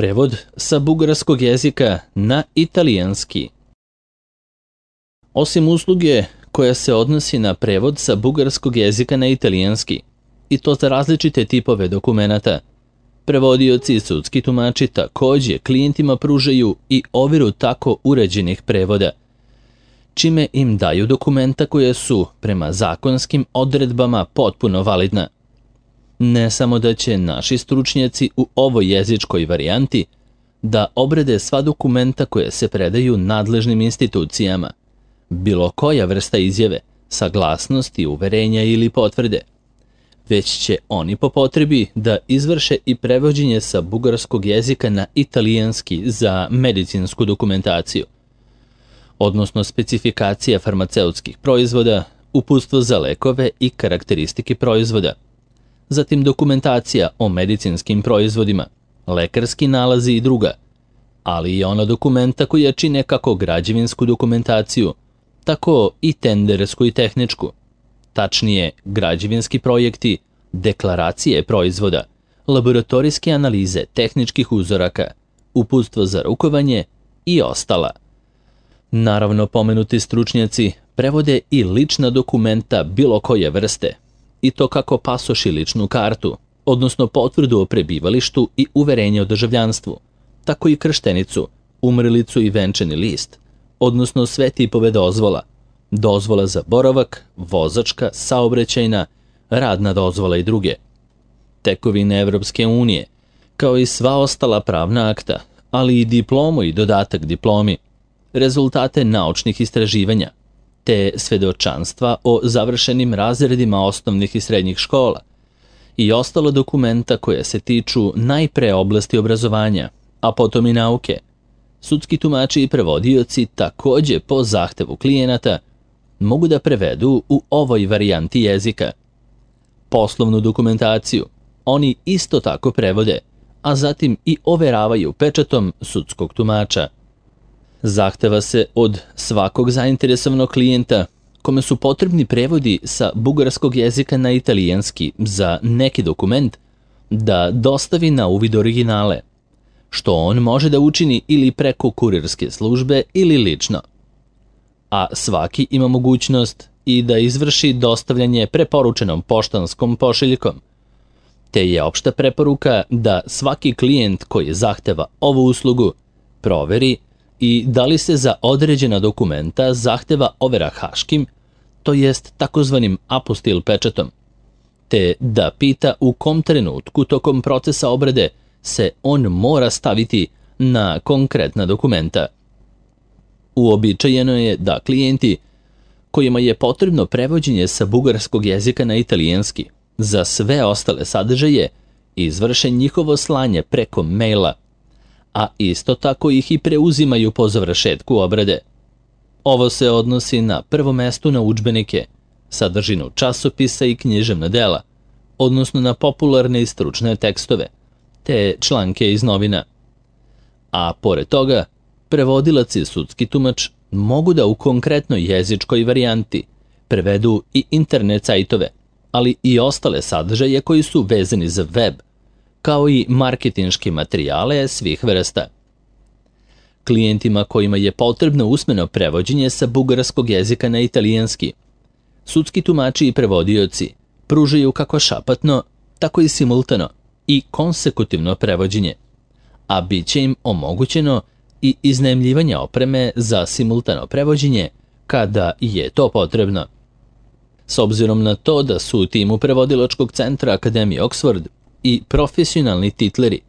Prevod sa bugarskog jezika na italijanski. Osim usluge koja se odnosi na prevod sa bugarskog jezika na italijanski, i to za različite tipove dokumenata, prevodioci i sudski tumači takođe klijentima pružaju i overu tako uređenih prevoda, čime im daju dokumenta koje su, prema zakonskim odredbama, potpuno validna. Ne samo da će naši stručnjaci u ovoj jezičkoj varijanti da obrade sva dokumenta koje se predaju nadležnim institucijama, bilo koja vrsta izjave, saglasnosti, uverenja ili potvrde, već će oni po potrebi da izvrše i prevođenje sa bugarskog jezika na italijanski za medicinsku dokumentaciju, odnosno specifikacija farmaceutskih proizvoda, uputstvo za lekove i karakteristike proizvoda, zatim dokumentacija o medicinskim proizvodima, lekarski nalazi i druga, ali i ona dokumenta koja čine kako građevinsku dokumentaciju, tako i tendersku i tehničku, tačnije građevinski projekti, deklaracije proizvoda, laboratorijske analize tehničkih uzoraka, uputstvo za rukovanje i ostala. Naravno, pomenuti stručnjaci prevode i lična dokumenta bilo koje vrste, i to kako pasoš i ličnu kartu, odnosno potvrdu o prebivalištu i uverenje o državljanstvu, tako i krštenicu, umrlicu i venčani list, odnosno sve tipove dozvola, dozvola za boravak, vozačka, saobraćajna, radna dozvola i druge, tekovine Evropske unije, kao i sva ostala pravna akta, ali i diplomu i dodatak diplomi, rezultate naučnih istraživanja, te svedočanstva o završenim razredima osnovnih i srednjih škola i ostalo dokumenta koje se tiču najpre oblasti obrazovanja, a potom i nauke. Sudski tumači i prevodioci takođe po zahtevu klijenata mogu da prevedu u ovoj varijanti jezika. Poslovnu dokumentaciju oni isto tako prevode, a zatim i overavaju pečatom sudskog tumača. Zahteva se od svakog zainteresovanog klijenta kome su potrebni prevodi sa bugarskog jezika na italijanski za neki dokument da dostavi na uvid originale, što on može da učini ili preko kurirske službe ili lično. A svaki ima mogućnost i da izvrši dostavljanje preporučenom poštanskom pošiljkom, te je opšta preporuka da svaki klijent koji zahteva ovu uslugu proveri i da li se za određena dokumenta zahteva overa haškim, to jest takozvanim apostil pečatom, te da pita u kom trenutku tokom procesa obrade se on mora staviti na konkretna dokumenta. Uobičajeno je da klijenti kojima je potrebno prevođenje sa bugarskog jezika na italijanski za sve ostale sadržaje izvrše njihovo slanje preko maila, a isto tako ih i preuzimaju po završetku obrade. Ovo se odnosi na prvo mesto na udžbenike, sadržinu časopisa i književna dela, odnosno na popularne i stručne tekstove, te članke iz novina. A pored toga, prevodilac i sudski tumač mogu da u konkretnoj jezičkoj varijanti prevedu i internet sajtove, ali i ostale sadržaje koji su vezani za web, kao i marketinške materijale svih vrsta. Klijentima kojima je potrebno usmeno prevođenje sa bugarskog jezika na italijanski, sudski tumači i prevodioci pružaju kako šapatno, tako i simultano i konsekutivno prevođenje, a bit će im omogućeno i iznajmljivanje opreme za simultano prevođenje kada je to potrebno. S obzirom na to da su u timu prevodilačkog centra Akademije Oxford i profesionalni titleri,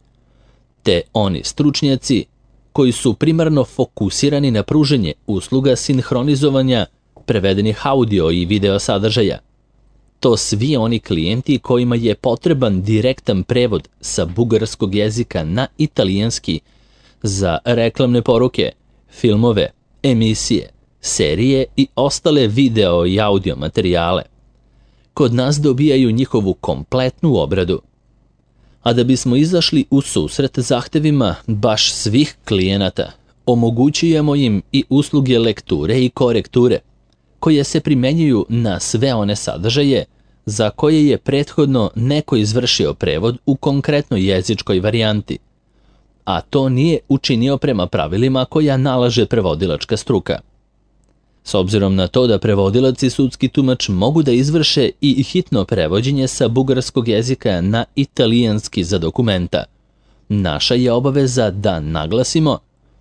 te oni stručnjaci koji su primarno fokusirani na pruženje usluga sinhronizovanja prevedenih audio i video sadržaja, to svi oni klijenti kojima je potreban direktan prevod sa bugarskog jezika na italijanski za reklamne poruke, filmove, emisije, serije i ostale video i audio materijale, kod nas dobijaju njihovu kompletnu obradu. A da bismo izašli u susret zahtevima baš svih klijenata, omogućujemo im i usluge lekture i korekture, koje se primenjuju na sve one sadržaje za koje je prethodno neko izvršio prevod u konkretnoj jezičkoj varijanti, a to nije učinio prema pravilima koja nalaže prevodilačka struka. S obzirom na to da prevodilac i sudski tumač mogu da izvrše i hitno prevođenje sa bugarskog jezika na italijanski za dokumenta, naša je obaveza da naglasimo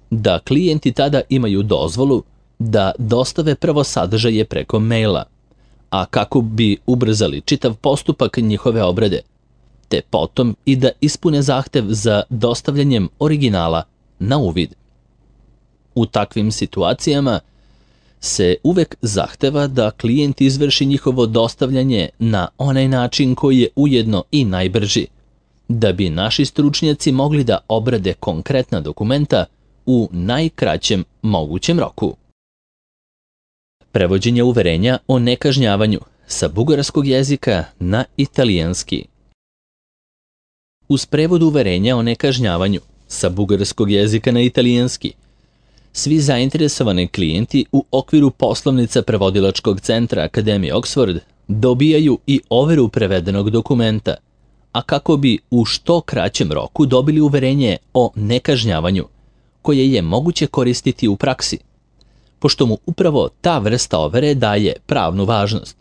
da klijenti tada imaju dozvolu da dostave prvo sadržaje preko maila, a kako bi ubrzali čitav postupak njihove obrade, te potom i da ispune zahtev za dostavljanjem originala na uvid. U takvim situacijama se uvek zahteva da klijent izvrši njihovo dostavljanje na onaj način koji je ujedno i najbrži, da bi naši stručnjaci mogli da obrade konkretna dokumenta u najkraćem mogućem roku. Prevođenje uverenja o nekažnjavanju sa bugarskog jezika na italijanski. Uz prevod uverenja o nekažnjavanju sa bugarskog jezika na italijanski, svi zainteresovani klijenti u okviru poslovnica prevodilačkog centra Akademije Oxford dobijaju i overu prevedenog dokumenta, a kako bi u što kraćem roku dobili uverenje o nekažnjavanju, koje je moguće koristiti u praksi, pošto mu upravo ta vrsta overe daje pravnu važnost.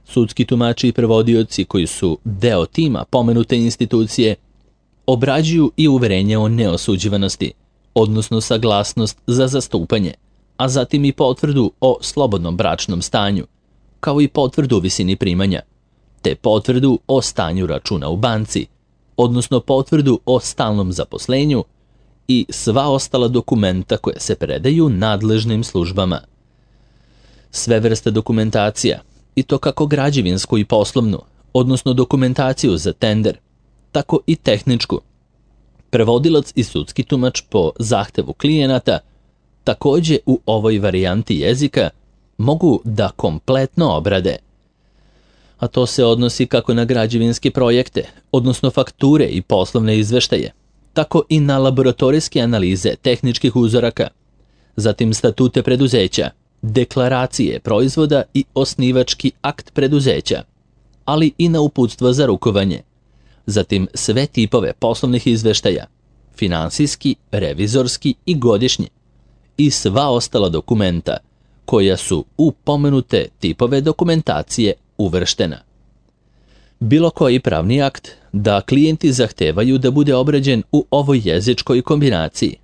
Sudski tumači i prevodioci koji su deo tima pomenute institucije obrađuju i uverenje o neosuđivanosti, odnosno saglasnost za zastupanje, a zatim i potvrdu o slobodnom bračnom stanju, kao i potvrdu o visini primanja, te potvrdu o stanju računa u banci, odnosno potvrdu o stalnom zaposlenju i sva ostala dokumenta koje se predaju nadležnim službama. Sve vrste dokumentacija, i to kako građevinsku i poslovnu, odnosno dokumentaciju za tender, tako i tehničku, prevodilac i sudski tumač po zahtevu klijenata, takođe u ovoj varijanti jezika, mogu da kompletno obrade. A to se odnosi kako na građevinske projekte, odnosno fakture i poslovne izveštaje, tako i na laboratorijske analize tehničkih uzoraka, zatim statute preduzeća, deklaracije proizvoda i osnivački akt preduzeća, ali i na uputstva za rukovanje, zatim sve tipove poslovnih izveštaja, finansijski, revizorski i godišnji, i sva ostala dokumenta koja su u pomenute tipove dokumentacije uvrštena. Bilo koji pravni akt da klijenti zahtevaju da bude obrađen u ovoj jezičkoj kombinaciji,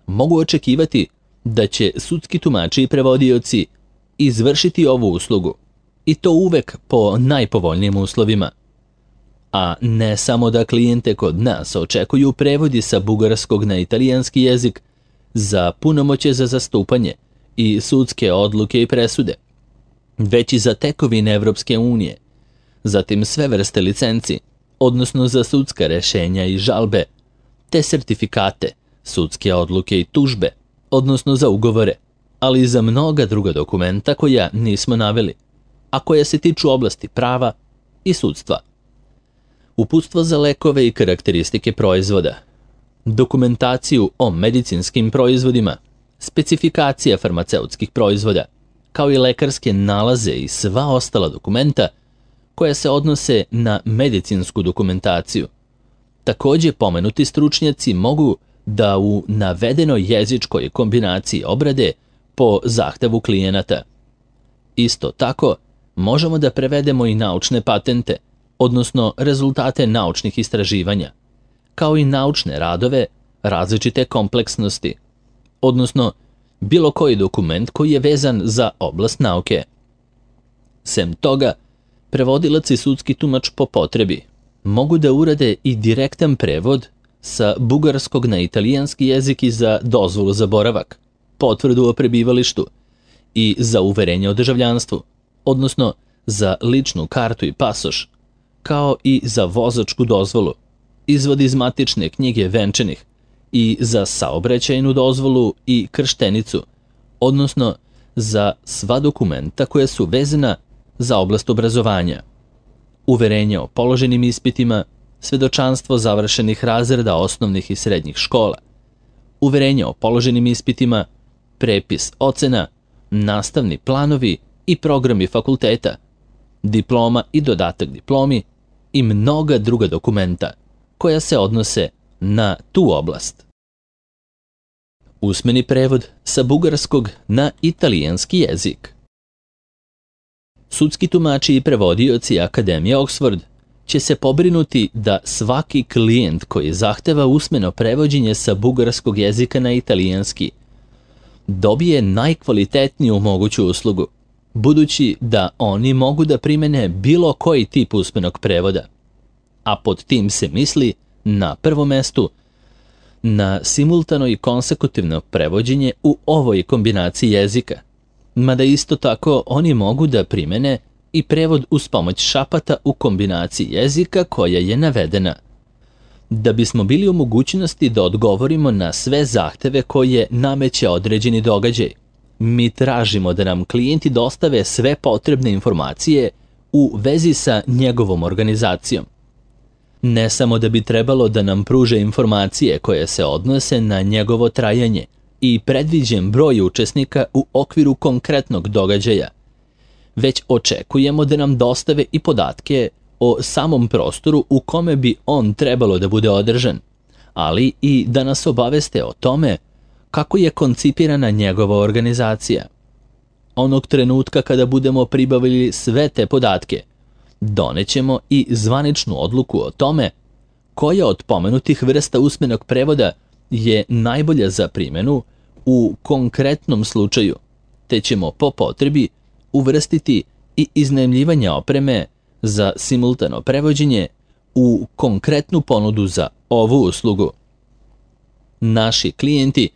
mogu očekivati da će sudski tumači i prevodioci izvršiti ovu uslugu, i to uvek po najpovoljnijim uslovima. A ne samo da klijente kod nas očekuju prevodi sa bugarskog na italijanski jezik za punomoćje za zastupanje i sudske odluke i presude, već i za tekovine Evropske unije, zatim sve vrste licenci, odnosno za sudska rešenja i žalbe, te sertifikate, sudske odluke i tužbe, odnosno za ugovore, ali i za mnoga druga dokumenta koja nismo naveli, a koja se tiču oblasti prava i sudstva. Uputstvo za lekove i karakteristike proizvoda, dokumentaciju o medicinskim proizvodima, specifikacija farmaceutskih proizvoda, kao i lekarske nalaze i sva ostala dokumenta koja se odnose na medicinsku dokumentaciju. Takođe, pomenuti stručnjaci mogu da u navedenoj jezičkoj kombinaciji obrade po zahtevu klijenata. Isto tako, možemo da prevedemo i naučne patente, odnosno rezultate naučnih istraživanja, kao i naučne radove različite kompleksnosti, odnosno bilo koji dokument koji je vezan za oblast nauke. Sem toga, prevodilac i sudski tumač po potrebi mogu da urade i direktan prevod sa bugarskog na italijanski jezik i za dozvolu za boravak, potvrdu o prebivalištu i za uverenje o državljanstvu, odnosno za ličnu kartu i pasoš, kao i za vozačku dozvolu, izvod iz matične knjige venčanih i za saobraćajnu dozvolu i krštenicu, odnosno za sva dokumenta koja su vezana za oblast obrazovanja, uverenje o položenim ispitima, svedočanstvo završenih razreda osnovnih i srednjih škola, uverenje o položenim ispitima, prepis ocena, nastavni planovi i programi fakulteta, diploma i dodatak diplomi i mnoga druga dokumenta koja se odnose na tu oblast. Usmeni prevod sa bugarskog na italijanski jezik. Sudski tumači i prevodioci Akademije Oxford će se pobrinuti da svaki klijent koji zahteva usmeno prevođenje sa bugarskog jezika na italijanski dobije najkvalitetniju moguću uslugu, budući da oni mogu da primene bilo koji tip usmenog prevoda. A pod tim se misli, na prvom mestu, na simultano i konsekutivno prevođenje u ovoj kombinaciji jezika, mada isto tako oni mogu da primene i prevod uz pomoć šapata u kombinaciji jezika koja je navedena. Da bismo bili u mogućnosti da odgovorimo na sve zahteve koje nameće određeni događaj, mi tražimo da nam klijenti dostave sve potrebne informacije u vezi sa njegovom organizacijom. Ne samo da bi trebalo da nam pruže informacije koje se odnose na njegovo trajanje i predviđen broj učesnika u okviru konkretnog događaja, već očekujemo da nam dostave i podatke o samom prostoru u kome bi on trebalo da bude održan, ali i da nas obaveste o tome kako je koncipirana njegova organizacija. Onog trenutka kada budemo pribavili sve te podatke, donećemo i zvaničnu odluku o tome koja od pomenutih vrsta usmenog prevoda je najbolja za primjenu u konkretnom slučaju, te ćemo po potrebi uvrstiti i iznajmljivanje opreme za simultano prevođenje u konkretnu ponudu za ovu uslugu. Naši klijenti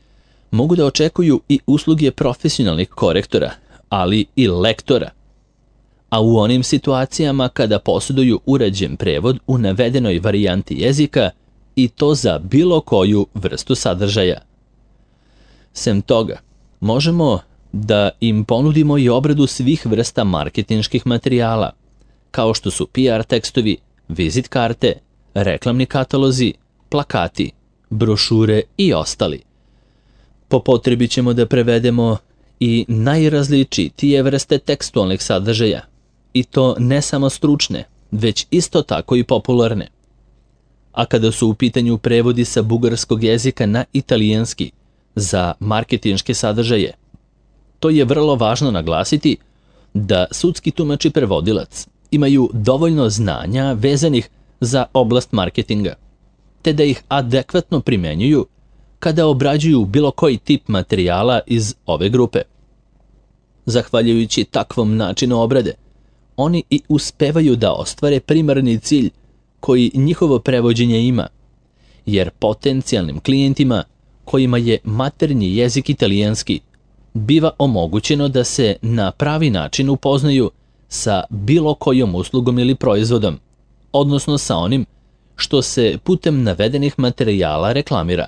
mogu da očekuju i usluge profesionalnih korektora, ali i lektora. A u onim situacijama kada posjeduju urađen prevod u navedenoj varijanti jezika i to za bilo koju vrstu sadržaja. Sem toga, možemo da im ponudimo i obradu svih vrsta marketinških materijala, kao što su PR tekstovi, vizit karte, reklamni katalozi, plakati, brošure i ostali. Po potrebi ćemo da prevedemo i najrazličitije vrste tekstualnih sadržaja, i to ne samo stručne, već isto tako i popularne. A kada su u pitanju prevodi sa bugarskog jezika na italijanski za marketinške sadržaje, to je vrlo važno naglasiti da sudski tumač i prevodilac imaju dovoljno znanja vezanih za oblast marketinga, te da ih adekvatno primenjuju kada obrađuju bilo koji tip materijala iz ove grupe. Zahvaljujući takvom načinu obrade, oni i uspevaju da ostvare primarni cilj koji njihovo prevođenje ima, jer potencijalnim klijentima kojima je maternji jezik italijanski biva omogućeno da se na pravi način upoznaju sa bilo kojom uslugom ili proizvodom, odnosno sa onim što se putem navedenih materijala reklamira.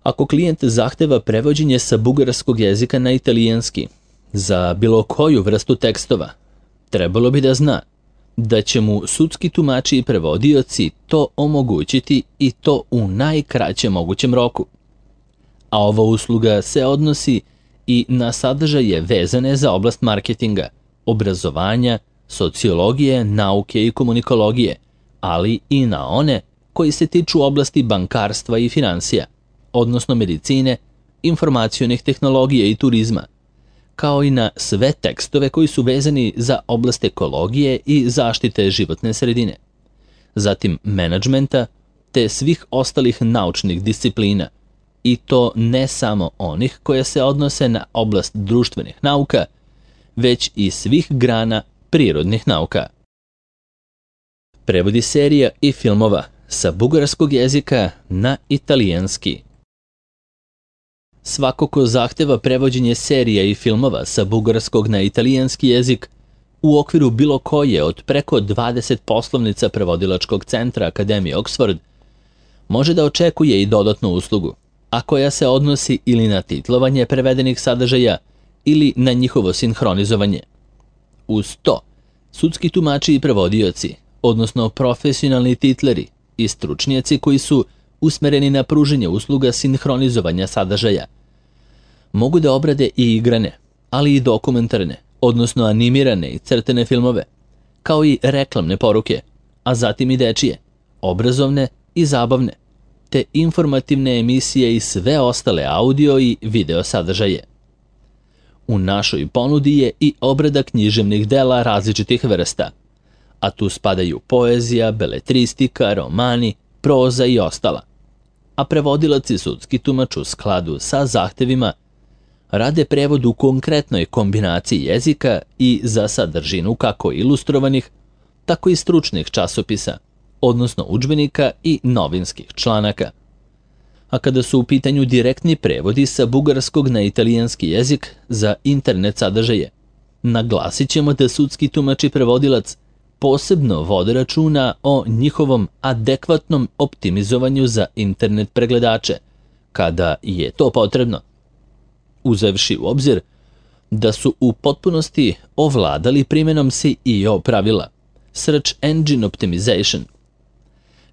Ako klijent zahteva prevođenje sa bugarskog jezika na italijanski za bilo koju vrstu tekstova, trebalo bi da zna da će mu sudski tumači i prevodioci to omogućiti i to u najkraćem mogućem roku. A ova usluga se odnosi i na sadržaje vezane za oblast marketinga, obrazovanja, sociologije, nauke i komunikologije, ali i na one koji se tiču oblasti bankarstva i finansija, odnosno medicine, informacionih tehnologija i turizma, kao i na sve tekstove koji su vezani za oblast ekologije i zaštite životne sredine, zatim menadžmenta te svih ostalih naučnih disciplina, i to ne samo onih koje se odnose na oblast društvenih nauka, već i svih grana prirodnih nauka. Prevodi serija i filmova sa bugarskog jezika na italijanski. Svako ko zahteva prevođenje serija i filmova sa bugarskog na italijanski jezik u okviru bilo koje od preko 20 poslovnica prevodilačkog centra Akademije Oxford može da očekuje i dodatnu uslugu, a koja se odnosi ili na titlovanje prevedenih sadržaja ili na njihovo sinhronizovanje. Uz to, sudski tumači i prevodioci, odnosno profesionalni titleri i stručnjaci koji su usmereni na pruženje usluga sinhronizovanja sadržaja, mogu da obrade i igrane, ali i dokumentarne, odnosno animirane i crtene filmove, kao i reklamne poruke, a zatim i dečije, obrazovne i zabavne, te informativne emisije i sve ostale audio i video sadržaje. U našoj ponudi je i obrada književnih dela različitih vrsta, a tu spadaju poezija, beletristika, romani, proza i ostala. A prevodilac i sudski tumač u skladu sa zahtevima rade prevod u konkretnoj kombinaciji jezika i za sadržinu kako ilustrovanih, tako i stručnih časopisa, odnosno udžbenika i novinskih članaka. A kada su u pitanju direktni prevodi sa bugarskog na italijanski jezik za internet sadržaje, naglasit ćemo da sudski tumač i prevodilac posebno vode računa o njihovom adekvatnom optimizovanju za internet pregledače, kada je to potrebno, uzevši u obzir da su u potpunosti ovladali primjenom SEO pravila, Search Engine Optimization,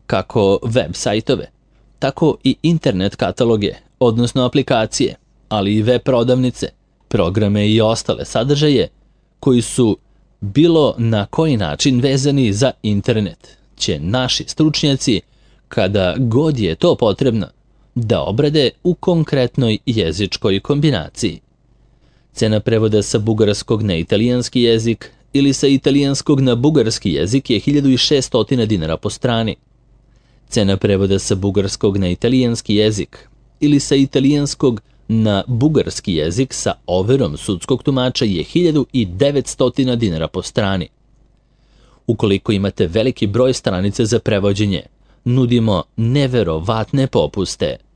kako web sajtove, tako i internet kataloge, odnosno aplikacije, ali i web prodavnice, programe i ostale sadržaje koji su bilo na koji način vezani za internet, će naši stručnjaci, kada god je to potrebno, da obrade u konkretnoj jezičkoj kombinaciji. Cena prevoda sa bugarskog na italijanski jezik ili sa italijanskog na bugarski jezik je 1600 dinara po strani. Cena prevoda sa bugarskog na italijanski jezik ili sa italijanskog na bugarski jezik sa overom sudskog tumača je 1900 dinara po strani. Ukoliko imate veliki broj stranica za prevođenje, nudimo neverovatne popuste.